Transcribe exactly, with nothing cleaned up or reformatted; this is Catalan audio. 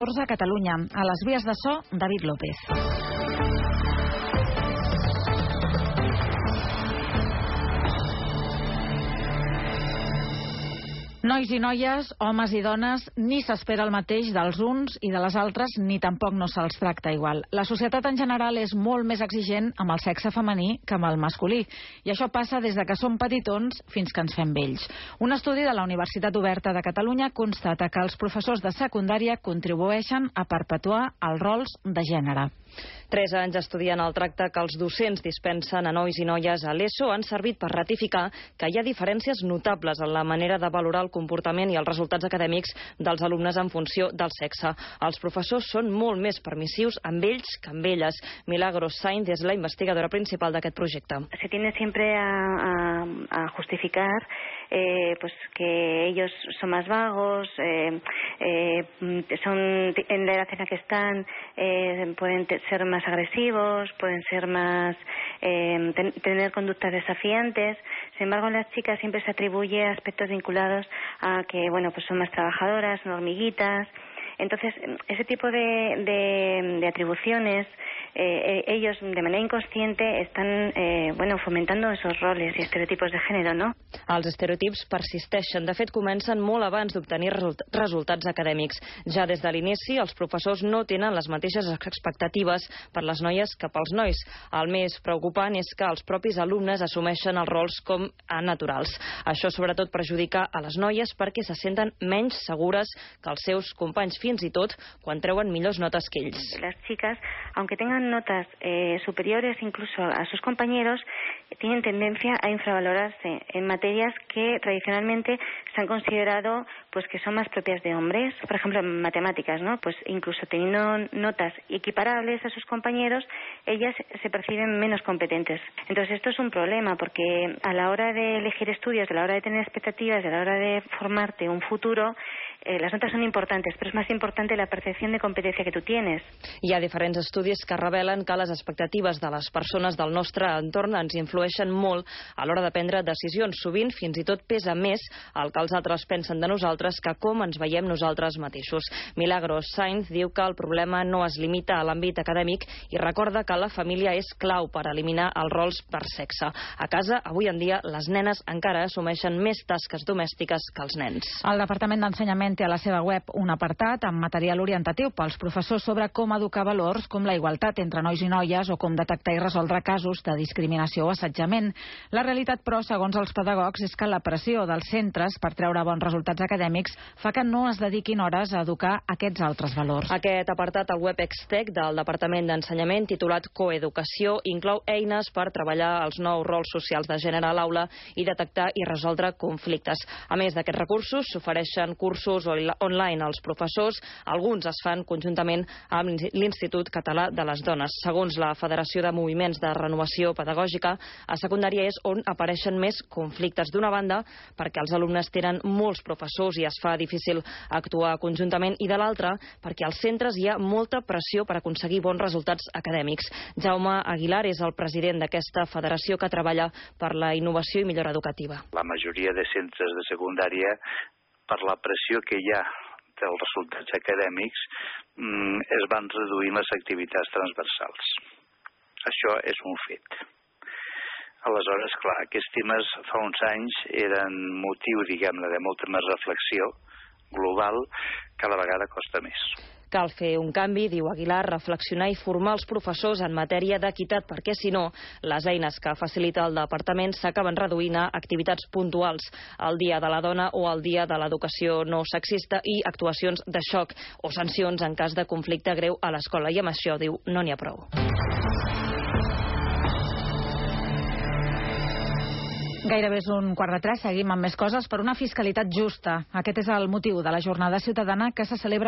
a Catalunya. A les vies de so, David López. Nois i noies, homes i dones, ni s'espera el mateix dels uns i de les altres, ni tampoc no se'ls tracta igual. La societat en general és molt més exigent amb el sexe femení que amb el masculí, i això passa des de que som petitons fins que ens fem vells. Un estudi de la Universitat Oberta de Catalunya constata que els professors de secundària contribueixen a perpetuar els rols de gènere. Tres anys estudiant el tracte que els docents dispensen a nois i noies a l'ESO han servit per ratificar que hi ha diferències notables en la manera de valorar el comportament i els resultats acadèmics dels alumnes en funció del sexe. Els professors són molt més permissius amb ells que amb elles. Milagros Sainz és la investigadora principal d'aquest projecte. Se tiende siempre a, a, a justificar eh, pues que ellos son más vagos, eh, eh, son en la edad en la que están, eh, pueden ser más agresivos, pueden ser más eh, ten, tener conductas desafiantes. Sin embargo, en las chicas siempre se atribuye aspectos vinculados a que, bueno, pues son más trabajadoras, son hormiguitas. Entonces, ese tipo de, de, de atribuciones, eh, ellos de manera inconsciente están eh, bueno, fomentando esos roles i estereotipos de gènere, no? Els estereotips persisteixen. De fet, comencen molt abans d'obtenir result resultats acadèmics. Ja des de l'inici, els professors no tenen les mateixes expectatives per les noies que pels nois. El més preocupant és que els propis alumnes assumeixen els rols com a naturals. Això sobretot perjudica a les noies perquè se senten menys segures que els seus companys, fins i tot quan treuen millors notes que ells. Las chicas, aunque tengan notas eh, superiores incluso a sus compañeros, tienen tendencia a infravalorarse en materias que tradicionalmente se han considerado pues que son más propias de hombres. Por ejemplo, en matemáticas, ¿no? Pues incluso teniendo notas equiparables a sus compañeros, ellas se perciben menos competentes. Entonces esto es un problema porque a la hora de elegir estudios, a la hora de tener expectativas, a la hora de formarte un futuro, eh, las notas son importantes, pero es más importante la percepción de competencia que tú tienes. Hi ha diferents estudis que revelen que les expectatives de les persones del nostre entorn ens influeixen molt a l'hora de prendre decisions. Sovint fins i tot pesa més el que els altres pensen de nosaltres que com ens veiem nosaltres mateixos. Milagros Sainz diu que el problema no es limita a l'àmbit acadèmic i recorda que la família és clau per eliminar els rols per sexe. A casa, avui en dia, les nenes encara assumeixen més tasques domèstiques que els nens. El Departament d'Ensenyament té a la seva web un apartat amb material orientatiu pels professors sobre com educar valors com la igualtat entre nois i noies o com detectar i resoldre casos de discriminació o assetjament. La realitat, però, segons els pedagogs, és que la pressió dels centres per treure bons resultats acadèmics fa que no es dediquin hores a educar aquests altres valors. Aquest apartat al web Extec del Departament d'Ensenyament, titulat Coeducació, inclou eines per treballar els nous rols socials de gènere a l'aula i detectar i resoldre conflictes. A més d'aquests recursos, s'ofereixen cursos online als professors. Alguns es fan conjuntament amb l'Institut Català de les Dones. Segons la Federació de Moviments de Renovació Pedagògica, a secundària és on apareixen més conflictes. D'una banda, perquè els alumnes tenen molts professors i es fa difícil actuar conjuntament, i de l'altra, perquè als centres hi ha molta pressió per aconseguir bons resultats acadèmics. Jaume Aguilar és el president d'aquesta federació que treballa per la innovació i millora educativa. La majoria de centres de secundària, per la pressió que hi ha dels resultats acadèmics, es van reduint les activitats transversals. Això és un fet. Aleshores, clar, aquests temes fa uns anys eren motiu, diguem-ne, de molta més reflexió global, cada vegada costa més. Cal fer un canvi, diu Aguilar, reflexionar i formar els professors en matèria d'equitat, perquè si no, les eines que facilita el departament s'acaben reduint a activitats puntuals, el dia de la dona o el dia de l'educació no sexista i actuacions de xoc o sancions en cas de conflicte greu a l'escola. I amb això, diu, no n'hi ha prou. Gairebé és un quart de tres, seguim amb més coses. Per una fiscalitat justa. Aquest és el motiu de la jornada ciutadana que se celebra